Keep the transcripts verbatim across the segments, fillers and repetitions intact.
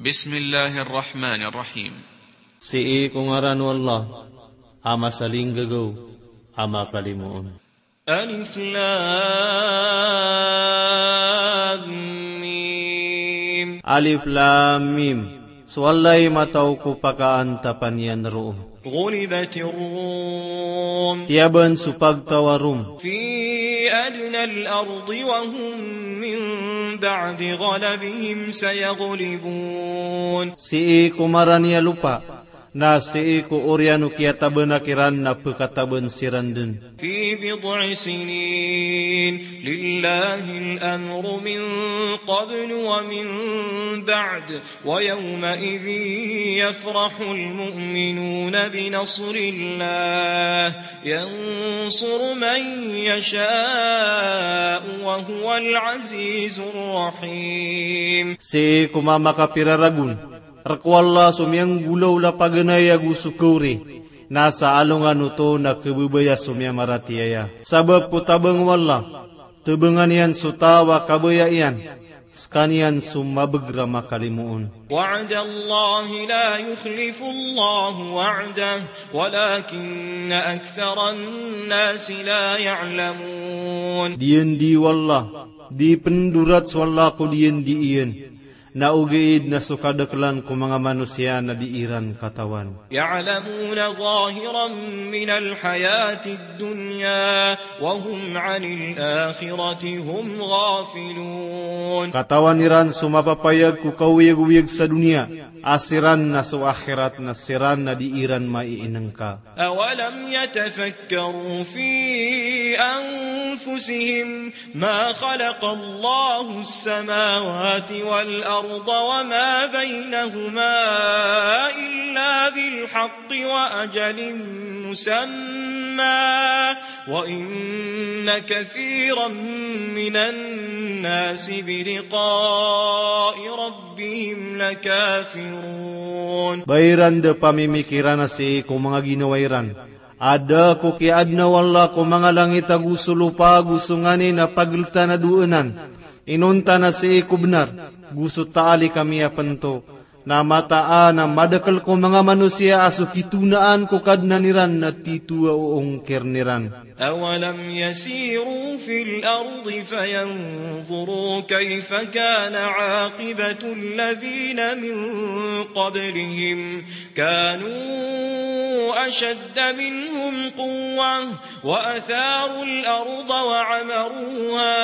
بسم الله الرحمن الرحيم. Sii ko ngaran o Allah, a masalinggagaw, a makalimoon. ألف لام ميم. Alif Lam Mim. So Allah i mataw ko pakaantapan iyan roo. غلبت الروم. Tiyaban so pagtaw a Rom. في أدنى الأرض وهم من بعد غلبهم سيغلبون. Sii ko marani a lopa, na sii ko oriyan o kiyatabanak iran na pkataban siran dn. في بضع سنين لله الأمر من قبل ومن بعد ويومئذ يفرح المؤمنون بنصر الله ينصر من يشاء وهو العزيز الرحيم. Sii ko mama kapira ragon, rk o Allah so miyanggolawla paganay ago so kawri, na sa alongan oto na khababaya so miyamaratiyaya. Sabap ko tabang o Allah, tabangan iyan so taw a kabaya iyan, skaniyan so mabagr a makalimoon. وعد الله لا يخلف الله وعده ولكن أكثر الناس لا يعلمون. Diyandi o Allah, di pndorat so Allah ko diyandi iyan, na ogaid na so kadaklan ko manga manosiya na di iran katawan. يعلمون ظاهرا من الحياة الدنيا وهم عن الآخرة هم غافلون. Katawan iran so mapapayag ko kaoyagoyag sa doniya, a siran na so akhirat na siran na di iran maiinngka. أولم يتفكروا في أنفسهم ما خلق الله السماوات والأرض وما بينهما إلا بالحق وأجل مسمى وإن كثيرا من الناس بلقاء ربهم لكافرون. Ba iran da pamimikiran a sii ko manga ginawa iran a da ko kiyaadna o Allah ko manga langit ago so lopa ago so nganin a pagltan a doanan, inonta na sii ko bnar, go so taali ka miyapnto, na mataan a madakl ko manga manosiya a so kitonaan ko Kadnan iran na tito a oongkir iran. أولم يسيروا في الأرض فينظروا كيف كان عاقبة الذين من قبلهم كانوا أشد منهم قوة وأثاروا الأرض وعمروها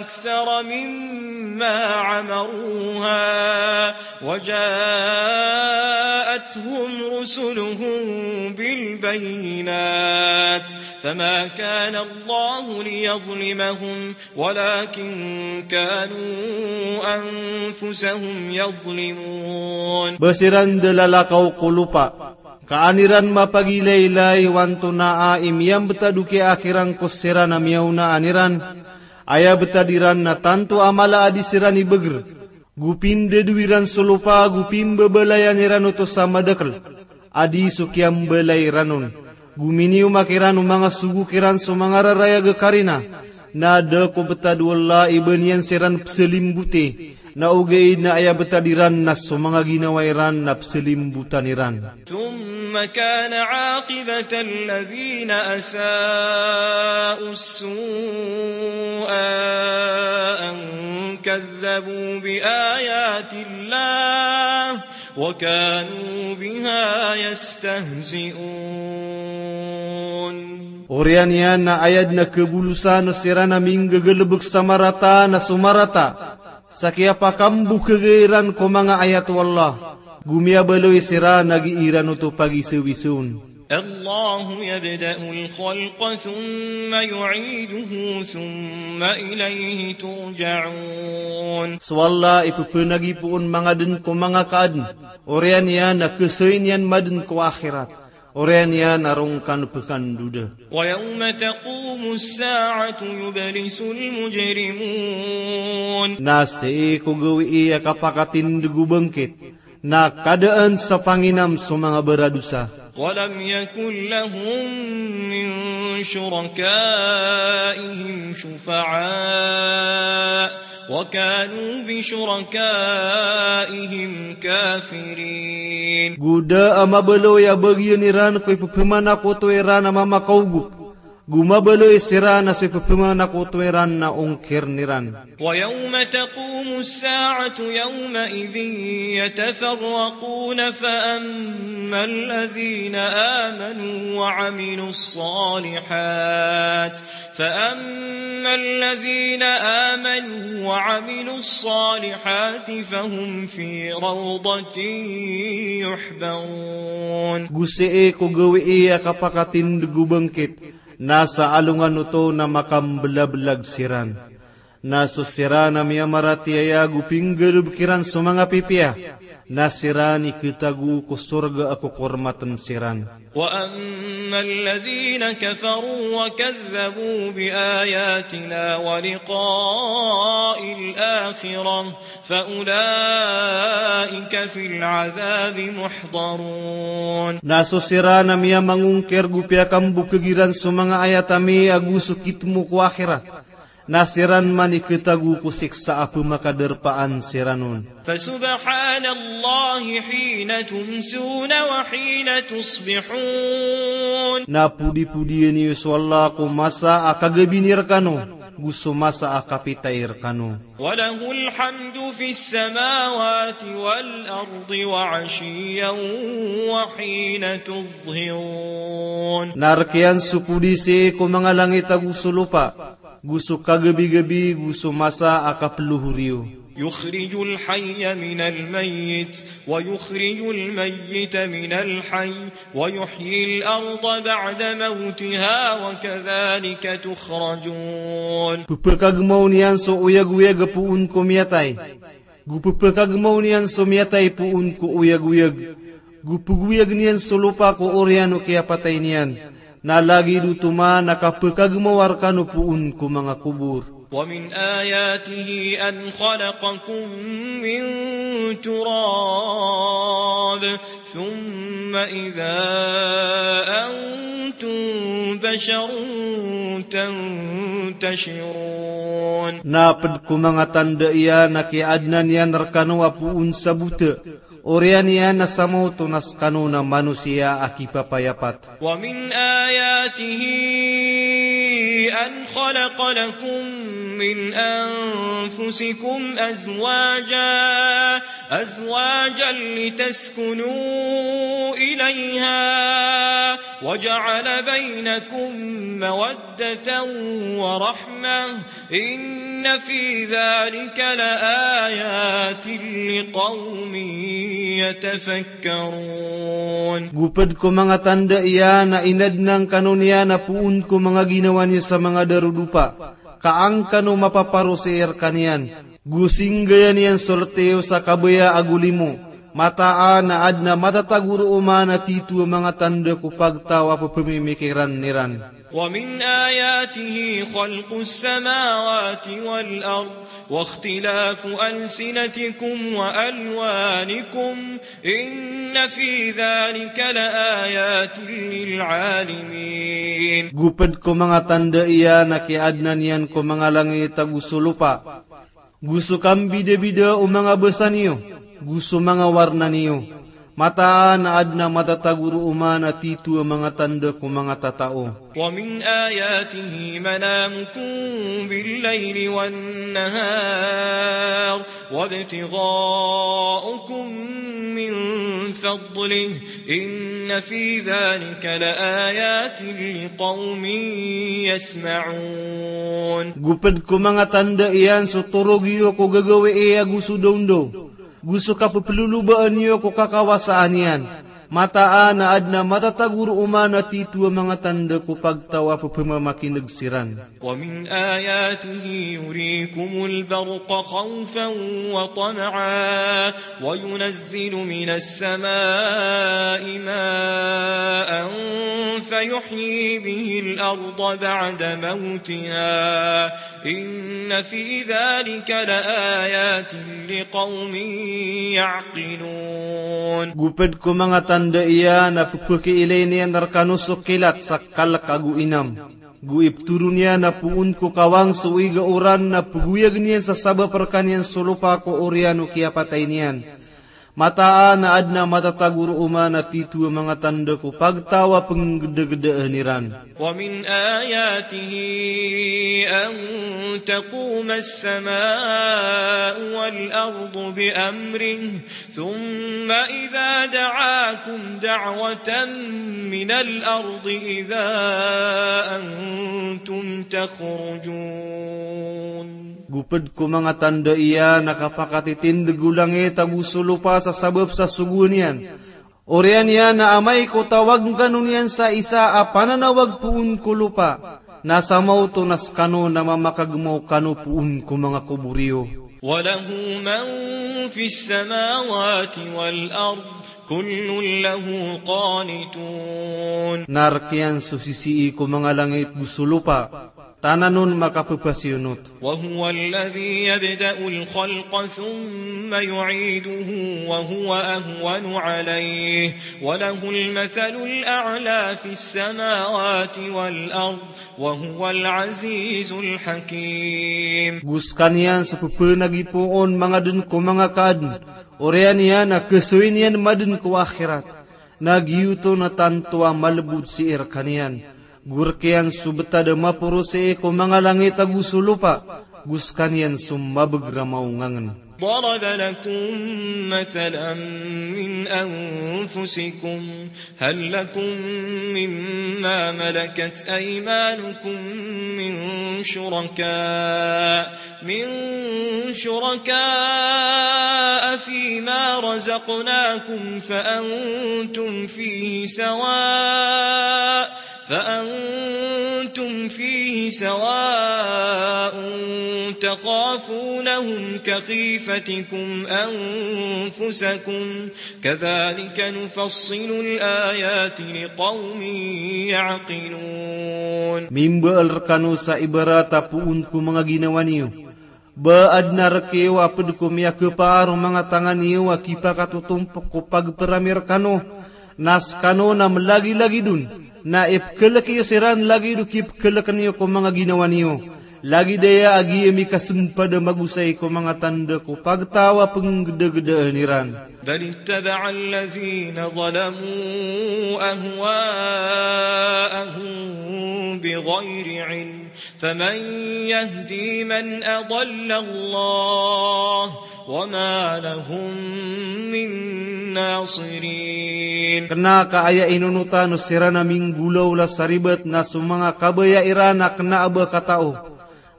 أكثر مما عمروها وجاءتهم رسلهم بالبينات فما كان الله ليظلمهم ولكن كانوا أنفسهم يظلمون. Ba siran da lalakaw ko lopa, ka an iran mapagilaylay o antonaa i miyambtad o kiyaakhiran ko siran a miyaona an iran, aya btad iran na tanto a mala a di siran ibagr, go pindado iran so lopa, go pimbabalayan iran oto sa madakl a di so kiyambalay iran on, go miniyoma kiran o manga sogo kiran so manga rarayag a karina, na da ko btad o Allah i ba niyan siran psalimboti, na ogaid na aya btad iran na so manga ginawa iran na psalimbotan iran. ثم كان عاقبة الذين أساءوا السوء أن كذبوا بآيات الله وكانوا بها يستهزئون. Oriyan iyan na aya dn a khabolosan o siran a minggagalbk sa marata na so marata sa kiyapakambokag iran ko manga ayat o Allah, go miyabaloy siran a gii iran oto pagisawisawn. الله يبدأ الخلق ثم يعيده ثم إليه ترجعون. So Allah i pphanagi poon mangadn ko manga kaadn, oriyan iyan a khasayn iyan madn ko akhirat, oriyan iyan a roo ngka pkhandoda. ويوم تقوم الساعة يبلس المجرمون. Na sii ko gawii a kapakatindg o bangkit, na kadaan sa panginam so manga baradosa. ولم يكن لهم من شركائهم شفعاء وكانوا بشركائهم الكافرين. Go da a mabaloy a bagian iran ko ipepemanakoto iran a mamakaogop. Go mabaloy siran a so ipepemanakoto iran na ongkir iran. ويوم تقوم الساعة يومئذ يتفرقون فأما الذين آمنوا وعملوا الصالحات فأما الذين آمنوا وعملوا الصالحات فهم في روضة يحبرون. Go sii ko gawii a kapakatindeg o bangkit, na sa alongan oto na makambelabelag siran. Na so siran a miyamaratiyaya go pinggalebek iran so manga pipiya, na siran i ketago ko sorga a kokormaten siran. وأما الذين كفروا وكذبوا بآياتنا ولقاء الآخرة فأولئك في العذاب محضرون. Na so siran a miyamangongkir go piyakambokeg iran so manga ayat ami ago so kitmo ko akhirat, na siran man i ketago ko siksa a pemakaderpaan siran on. فسبحان الله حين تمسون وحين تصبحون. Na podipodian iyo so Allah ko masa a kagabini rekano, go so masa a kapitay rekano. وله الحمد في السماوات والأرض وعشيا وحين تظهرون. Na rek iyan so podi sii ko manga langit ago so lopa, go so kagabigabi, go so masa a kapelohor iyo. يخرج الحي من الميت ويخرج الميت من الحي ويحيي الأرض بعد موتها وكذلك تخرجون. Pepekagemaw niyan so oyagoyag poon ko miyatay. Go pepekagemaw niyan so miyatay poon ko oyagoyag. Go pegoyag niyan so lopa ko oriyan o kiyapatay niyan. Na lagid oto man a kapekagemawa rekano poon ko manga kobor. ومن آياته أن خلقكم من تراب ثم إذا أنتم بشر تنتشرون. Na ped ko manga tanda iyan a kiyaadna niyan rekano a poon sa bota, oriyan iyan a sa maoto na sekano na manosiya a kipapayapat. ومن آياته أن خلق لكم من أنفسكم أزواجا، أزواجا لتسكنوا إليها، وجعل بينكم مودة ورحمة، إن في ذلك لآيات لقوم يتفكرون. Go ped ko manga tanda iyan a inadna ngkano niyan a poon ko manga ginawa niyo sa manga darodopa, ka an kano mapaparosai rekaniyan. Go singgaya niyan so lete iyo sa kabaya ago limo. Mataan a aden a matatago roo man a tito a manga tanda ko pagtaw a pepemimikiran iran. ومن آياته خلق السماوات والأرض واختلاف ألسنتكم وألوانكم إن في ذلك لآيات للعالمين. Go ped ko manga tanda iyan a kiyaadna niyan ko manga langit ago so lopa, go so kambidabida o manga basa niyo, go so manga warna niyo. Mataan a aden a matatago roo man a tito a manga tanda ko manga tatao. ومن آياته منامكم بالليل والنهار وابتغاؤكم من فضله إن في ذلك لآيات لقوم يسمعون. Go ped ko manga tanda iyan so torog iyo ko gagawii ago so dawndaw, go so kapepelolobaan iyo ko kakawasaan iyan. Mataan a aden a matatago roo man a tito a manga tanda ko pagtaw a pepemamakineg siran. ومن آياته يريكم البرق خوفا وطمعا وينزل من السماء ماء فيحيي به الأرض بعد موتها إن في ذلك لآيات لقوم يعقلون. Go ped ko manga tanda iyan a pepekiilay niyan rekano so kilat sa kalek ago inam. Go ipetoron iyan a poon ko kawang so iga oran na pegoyag niyan sa sabap rekaniyan so lopa ko oriyan o kiyapatay niyan. Mataan a adn a matatago roo man a titho a manga tanda ko pagtaw a penggdagdaan iran. ومن آياته أن تقوم السماء والأرض بأمره ثم إذا دعاكم دعوة من الأرض إذا أنتم تخرجون. Go pd ko manga tanda iyan a kapakatitindg o langit ago so lopa sa sabap sa sogoan iyan. Oriyan iyan a amay ko tawag kano niyan sa isa a pananawag poon ko lopa, na sa maoto na skano na mamakagmaw kano poon ko manga kobor iyo. وله من في السماوات والأرض كل له قانتون. Na rk iyan so sisii ko manga langit go so lopa, tanan on makapphasiyonot. وهو الذي يبدأ الخلق ثم يعيده وهو أهون عليه وله المثل الأعلى في السماوات والأرض وهو العزيز الحكيم. Go skaniyan so pphanagipoo on mangadn ko manga kaadn, oriyan iyan a khasoy niyan madn ko akhirat. Na giyoto na tanto a malbod sii rkaniyan. Go rk iyan so btad a maporosii ko manga langit ago so lopa, go skaniyan so mabgramaw ngangn. ضرب لكم مثلا من أنفسكم هل لكم مما ملكت أيمانكم من شركاء من شركاء فيما رزقناكم فأنتم فيه سواء فأنتم فيه سواء تخافونهم كخيفتكم أنفسكم كذلك نفصل الآيات لقوم يعقلون. Mimbaal rkano sa ibarat a poon ko manga ginawa niyo. Ba adn a rk iyo a pd ko miyakhapaar o manga tanga niyo a kipakatotompk ko pagprami rkano, na skano na mlagilagid on, na ipkhalk iyo siran lagid o kipkhalk niyo ko manga ginawa niyo. Lagid aya a giya mikasmpad a magosay ko manga tanda ko pagtaw a penggdagdaan iran. بل اتبع الذين ظلموا أهواءهم بغير علم فمن يهدي من أضل الله وما لهم من ناصرين. Kna ka aya inonotan o siran a minggolawla sa ribat na so manga kabaya iran a kna a ba katao.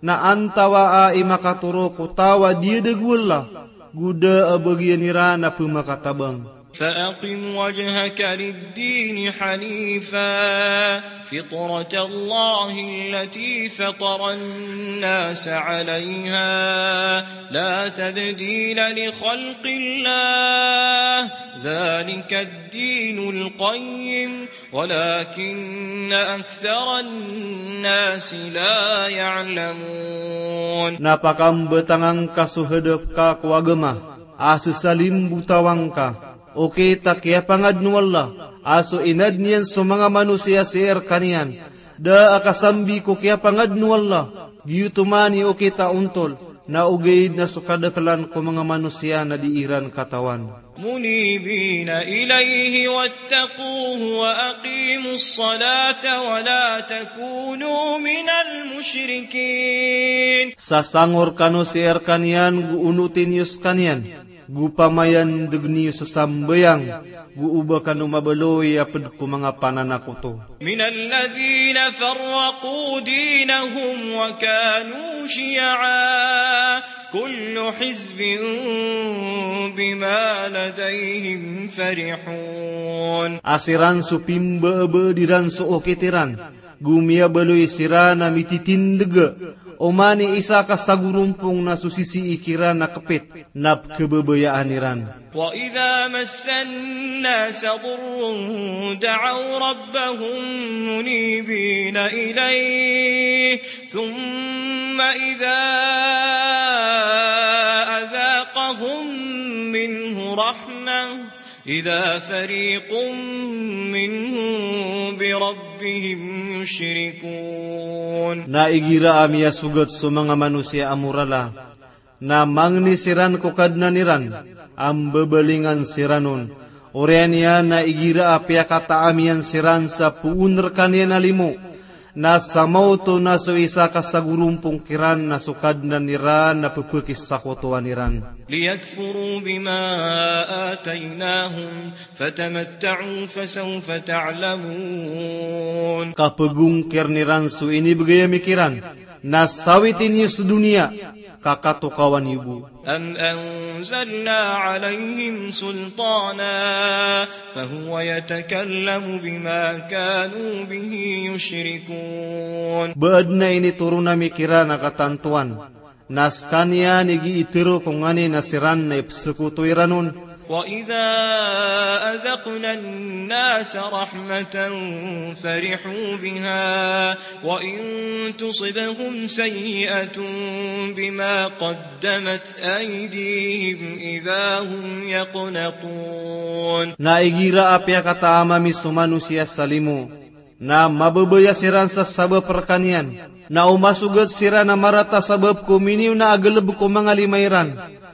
Na antawaa i makatoro ko taw a diyadagol a, go da a bagian iran a pmakatabang. فأقم وجهك للدين حنيفا فطرة الله التي فطر الناس عليها لا تبديل لخلق الله ذلك الدين القيم ولكن أكثر الناس لا يعلمون. Na pakambatanga ngka so hadap ka ko agama, a ssalimbotawan ka, okit a kiyapangadn o Allah a so inadn iyan so manga manosiya sii rkaniyan. Da a kasambi ko kiyapangadn o Allah, giyoto man i okit a ontol, na ogaid na so kadaklan ko manga manosiya na di iran katawan. منيبين إليه واتقوه وأقيموا الصلاة ولا تكونوا من المشركين. Sasangor kano sii rkaniyan go onoti niyo skaniyan, go pamayandg niyo so sambayang, go oba kano mabaloy a pd ko manga pananakoto. من الذين فرقوا دينهم وكانوا شيعا كل حزب بما لديهم فرحون. A siran so pimbaabaa diran so okit iran, go miyabaloy siran a mititindga, oman i isa ka sagorompong na so sisii kiran a kpit, na pkhababayaan iran. وإذا مس الناس ضر دعوا ربهم منيبين إليه ثم إذا أذاقهم منه رحمة إذا فريق منهم بربهم يشركون. Na igira a miyasogat so manga manosiya a morala, na mangni siran ko Kadnan iran, A mbabalingan siran on. Oriyan iyan na igira a piyakataam iyan siran sa poon rkaniyan a limo, na samaoto na so isa ka sagorompong kiran na so Kadnan iran na pphkisakotowan iran. ليكفروا بما آتيناهم فتمتعوا فسوف تعلمون. Ka pgongkirn iran so inibgay ami kiran, na sawiti niyo so doniya, ka katokawan iyo bo. أم أنزلنا عليهم سلطانا فهو يتكلم بما كانوا به يشركون. Ba adn a initoron ami kiran a katantoan, na skaniyan i gii tero ko nganin a siran na ipsakoto iran on. وإذا أذقنا الناس رحمة فرحوا بها وإن تصبهم سيئة بما قدمت أيديهم إذا هم يقنطون. Na igira a piyakataam ami so manosiya sa limo, na mababaya siran sa sabap rkaniyan, na o masogat siran a marata sabap ko miniona a galb ko manga lima iran,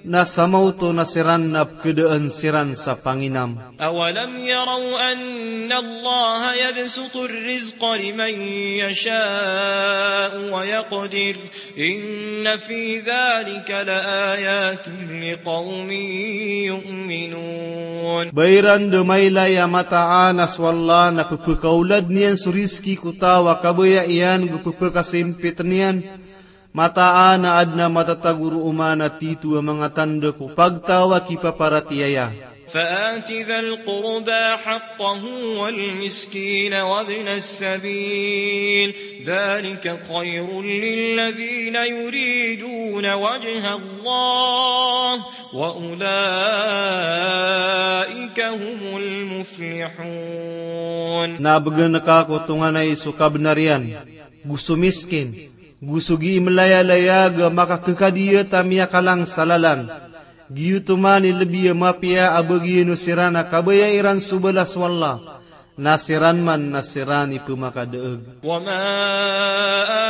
na samaoto na siran na pkadaan siran sa panginam. أولم يروا أن الله يبسط الرزق لمن يشاء ويقدر إن في ذلك لآيات لقوم يؤمنون. Ba iran da mailay a mataan a so Allah na pphakaolad niyan so rizki ko taw a kabaya iyan go pphakasimpit niyan. Mataan a adn a matatago roo man a tito a manga tanda ko pagtaw a kipaparatiyaya. فآت ذا القربى حقه والمسكين وابن السبيل ذلك خير للذين يريدون وجه الله وأولئك هم المفلحون. Na bgan ka ko tonganay so kabnar iyan, go so miskin, go so gii mlayalaya ga makakakadiyat a miyakalang sa lalan. Giyoto man i lbi a mapiya a bagian o siran a kabaya iran so balas o Allah, na siran man na siran i pmakadaag. وما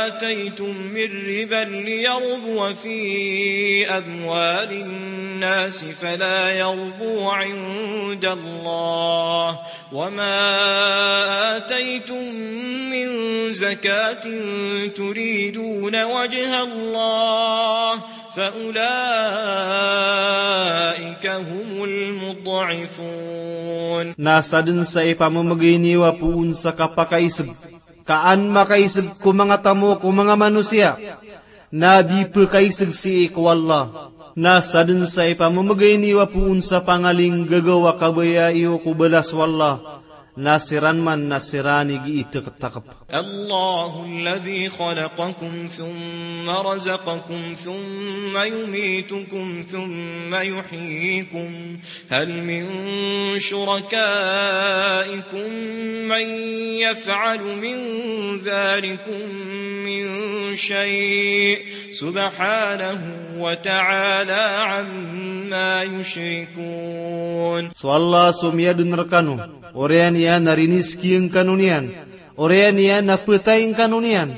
آتيتم من ربا ليربو في أموال الناس فلا يربو عند الله وما آتيتم من زكاة تريدون وجه الله فأولئك هم المضعفون. Na sadn sa ipamamgay niyo a poon sa kapakaisg, ka an makaisg ko manga tamok o manga manosiya, na di pkaisg sii ko Allah. Na sadn sa ipamamgay niyo a poon sa pangalinggagaw a kabaya iyo ko balas o Allah, na siran man na siran i gii taktakp. الله الذي خلقكم ثم رزقكم ثم يميتكم ثم يحييكم هل من شركائكم من يفعل من ذلكم من شيء سبحانه وتعالى عما يشركون. So Allah so miyadn rkano, oriyan iyan a rinizkiyangkano niyan, oriyan iyan a ptayngkano niyan,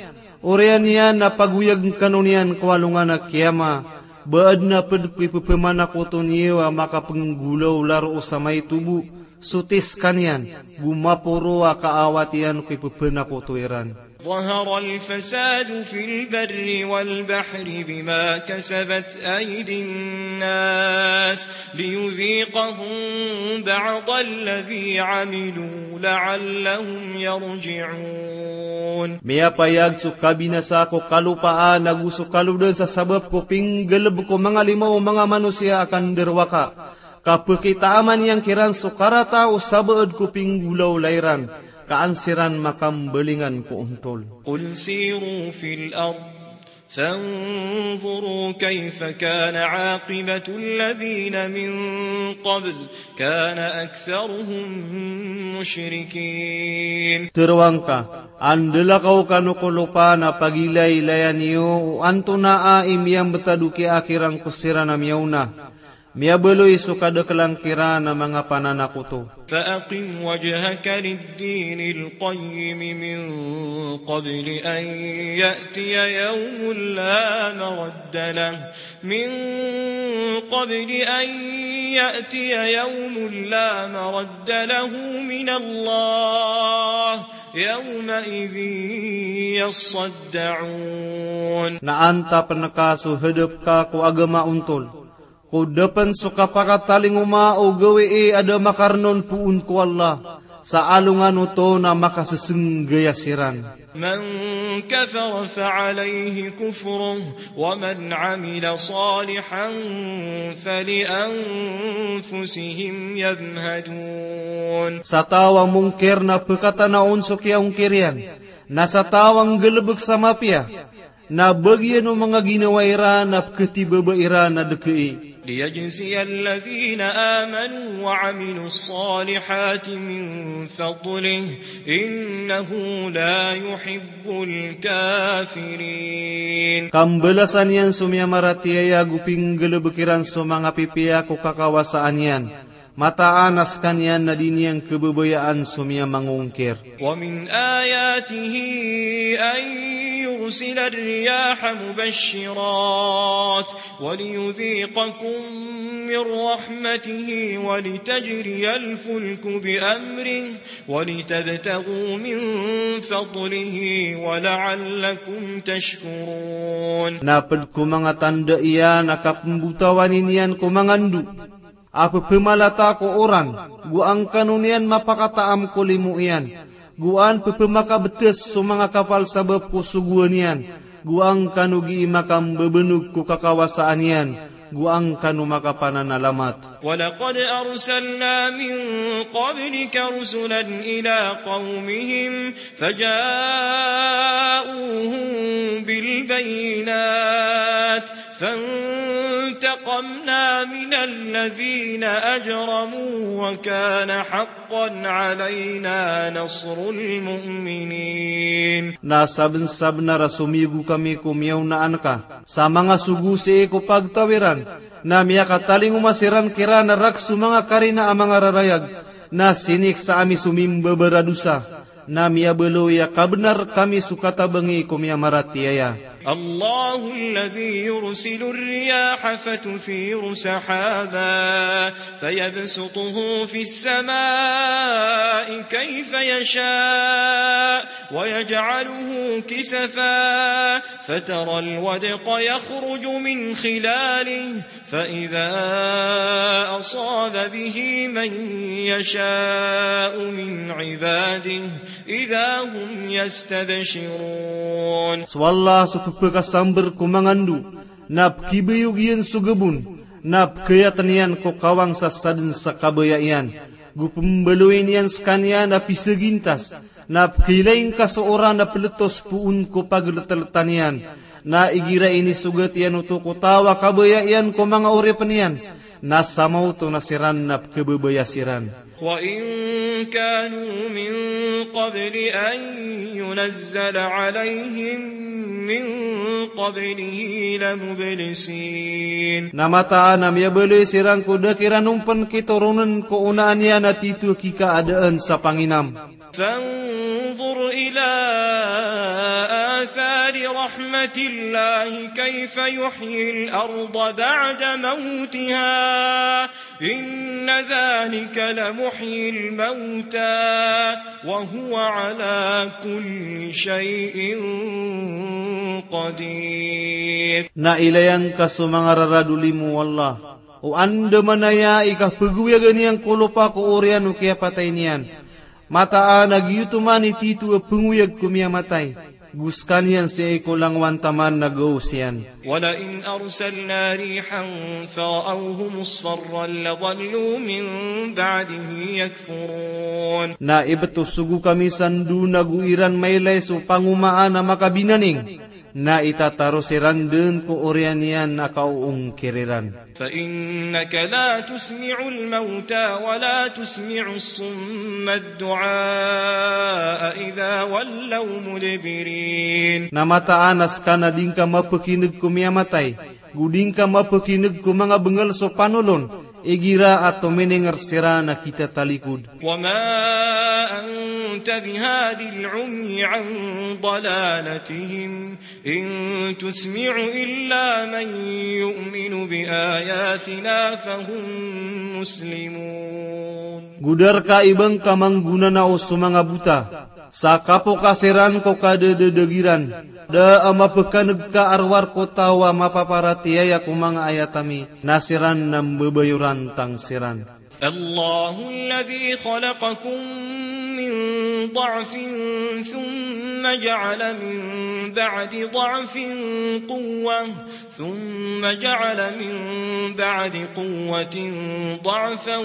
oriyan iyan a pagoyagngkano niyan ko alongan a kiyama. Ba adn a pd ko ipphmanakoto niyo a makapnggolawla roo sa maito bo, so tis skaniyan, go maporo a kaawat iyan ko ipphanakoto iran. ظهر الفساد في البر والبحر بما كسبت أيدي الناس ليذيقهم بعض الذي عملوا لعلهم يرجعون. Miyapayag so kabinasa ko kalopaan ago so kalodan sa sabap ko pinggalb ko manga lima o manga manosiya a kandarowaka. Ka pkitaaman iyan kiran so karata o sabaad ko pinggolawla iran, ka an siran makambalingan ko ontol. قل سيروا في الأرض فانظروا كيف كان عاقبة الذين من قبل كان أكثرهم مشركين. Tharoa ngka, andalakaw kano ko lopa na pagilaylayan iyo o antonaa i miyambtad o kiyaakirang ko siran a miyaona. Miyabaloy so kadaklan kiran a manga pananakoto. فأقم وجهك للدين القيم من قبل أن يأتي يوم لا مرد له، من قبل أن يأتي يوم لا مرد له من الله، يومئذ يصدعون. Na antapn ka so hadap ka ko agama ontol, ko da pn so kapakatalingoma o gawii a da makarnon poon ko Allah, sa alongan oto na makasesengaya siran. من كفر فعليه كفره ومن عمل صالحا فلأنفسهم يمهدون. Sa taw a mongkir na pkatana on so kiyaongkir iyan, na sa taw a nggalbk sa mapiya, na bagian o manga ginawa iran a pkhatibaba iran a dkai. ليجزي الذين آمنوا وعملوا الصالحات من فضله إنه لا يحب الكافرين. Ka mbalasan iyan so miyamaratiyaya ago pinggalbk iran so manga pipiya ko kakawasaan iyan. Mataan a skaniyan na di niyan khababayaan so miyamangongkir. ومن آياته أن يرسل الرياح مبشرات وليذيقكم من رحمته ولتجري الفلك بأمره ولتبتغوا من فضله ولعلكم تشكرون. Na pd ko manga tanda iyan a kapmbotawan iyan ko manga ndo a pphamalata ko oran, go angkano niyan mapakataam ko limo iyan, go an pphamakabts so manga kapal sabap ko sogoan iyan, go angkano gii makambabanog ko kakawasaan iyan, go angkano makapananalamat. ولقد أرسلنا من قبلك رسلا إلى قومهم فجاءوهم بالبينات فانتقمنا من الذين أجرموا وكان حقا علينا نصر المؤمنين. Na sabnsabnar a somiyogo kami ko miyaonaan ka sa manga sogo sii ko pagtaw iran, na miyakatalingoma siran kiran a rakhs o manga karina a manga rarayag, na siniksa ami so mimbabaradosa. Na miyabaloy a kabnar kami so katabangi ko miyamaratiyaya. الله الذي يرسل الرياح فتثير سحابا فيبسطه في السماء كيف يشاء ويجعله كسفا فترى الودق يخرج من خلاله فإذا أصاب به من يشاء من عباده إذا هم يستبشرون. So Allah so pphakasambr ko manga ndo, na pkhibayog iyan so gabon, na pkhayatn iyan ko kawang sa sadn sa kabaya iyan, go pmbaloyn iyan skaniyan a pisagintas, na pkhilaing ka so oran a pltos poon ko pagltltan iyan, na igira inisogat iyan oto ko taw a kabaya iyan ko manga oripn iyan, na samaoto na siran na pkhababaya siran. وإن كانوا من قبل أن ينزل عليهم من قبله لمبلسين. Na mataan a miyabaloy siran ko da kiran on pn kitoronn ko onaan iyan a tito a kikaadaan sa panginam. فانظر إلى آثار رحمة الله كيف يحيي الأرض بعد موتها إن ذلك لمحيي الموتى وهو على كل شيء قدير. Na ilayan ka so manga rarad o limo o Allah o andamanaya i kapgoyagan iyan ko lopa ko oriyan o kiyapatay niyan. Mataan a giyoto man i tito a pngoyag ko miyamatay, go skaniyan sii ko langowan taman na gaos iyan. ولئن أرسلنا ريحا فرأوه مصفرا لظلوا من بعده يكفرون. Na ibt o sogo kami sa ndo na go iran mailay so pangomaan a makabinaning, na itataros iran dn ko oriyan iyan a kaoongkir iran. فإنك لا تسمع الموتى ولا تسمع الصم الدعاء إذا ولوا مدبرين. Na mataan a ska na di ngka mapkin'g ko miyamatay, Go di ngka mapekineg ko manga bengal so panolon, igira a tominenger siran a kitatalikod. وما أنت بهاد العمي عن ضلالتهم إن تسمع إلا من يؤمن بآياتنا فهم مسلمون. Go da rka i ba ngka manggonanao so manga bota, sa kapoka siran ko kadadadagi ran, da a mapekaneg ka a rowar ko taw a mapaparatiyaya ko manga ayat ami, na siran na mbabayoran tang siran. الله الذي خلقكم من ضعف ثم جعل من بعد ضعف قوة ثم جعل من بعد قوة ضعفا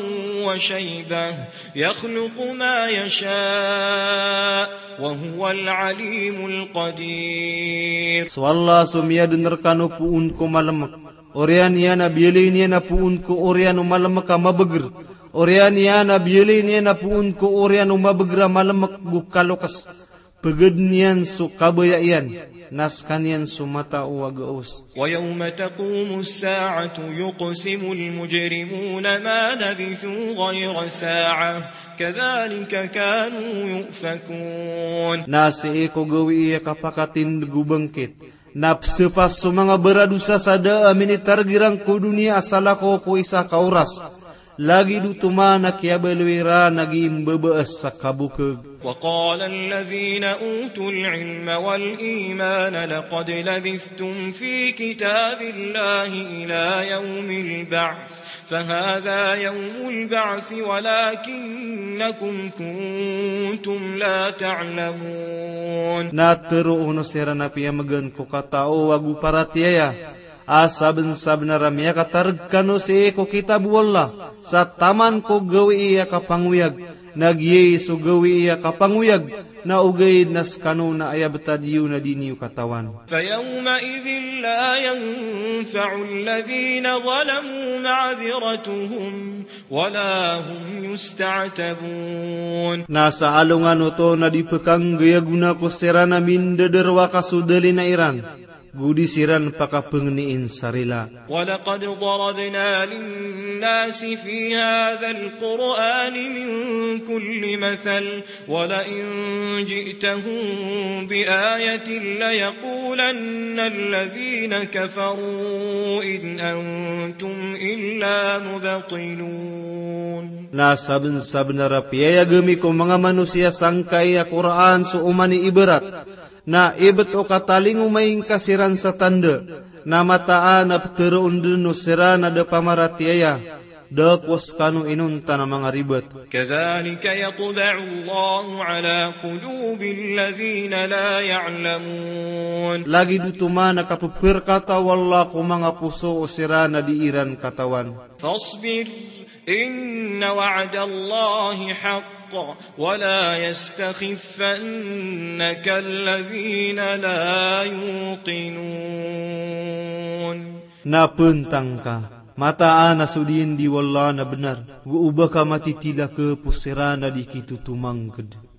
وشيبة يخلق ما يشاء وهو العليم القدير. So Allah so miyaden rekano poon ko malemek. Oriyan iyan a biyaloy niyan a poon ko oriyan o malemek a mabeger. Oriyan iyan a biyaloy niyan a poon ko oriyan o mabeger a malemek go kalokes. Pegeden iyan so kabaya iyan, na sekaniyan so matao a gaos. ويوم تقوم الساعة يقسم المجرمون ما لبثوا غير ساعة كذلك كانوا يؤفكون. Na sii ko gawii a kapakatindeg o bangkit, na pesepas so manga baradosa sa da a minitareg iran ko doniya a salakaw ko isa ka oras. Lagid oto man a kiyabaloy iran a gii mbabaas sa kabokeg. وقال الذين أوتوا العلم والإيمان لقد لبثتم في كتاب الله إلى يوم البعث فهذا يوم البعث ولكنكم كنتم لا تعلمون. Na tero o siran a piyamegan ko katao ago paratiyaya, a sabensabenar a miyakatareg kano sii ko kitab o Allah, sa taman ko gawii a kapangoyag, na giyai so gawii a kapangoyag, na ogaid na sekano na aya betad iyo na di niyo katawan. فيومئذ لا ينفع الذين ظلموا معذرتهم ولا هم يستعتبون. Na sa alongan oto na di pekanggayagona ko siran a mindederwa ka so dalina iran, go di siran pakapengnin sa rila. ولقد ضربنا للناس في هذا القرآن من كل مثل ولئن جئتهم بآية ليقولن الذين كفروا إن أنتم إلا مبطلون. Na sabensabenar a piyayag ami ko manga manosiya sangkai a Qur'an so oman i ibarat, na ibet o katalingoma ingka siran sa tanda, na mataan a peteroon den o siran a da pamaratiyaya, da ko sekano inonta na manga ribet. كذلك يطبع الله على قلوب الذين لا يعلمون. Lagid oto man a kapeperkata o Allah ko manga poso o siran a di iran katawan. فاصبر إن وعد الله حق ولا يستخفنك الذين لا يوقنون. Na pentang ka, mataan a so diyandi o Allah na benar, go oba ka matitilakep o siran a di kitotomangked.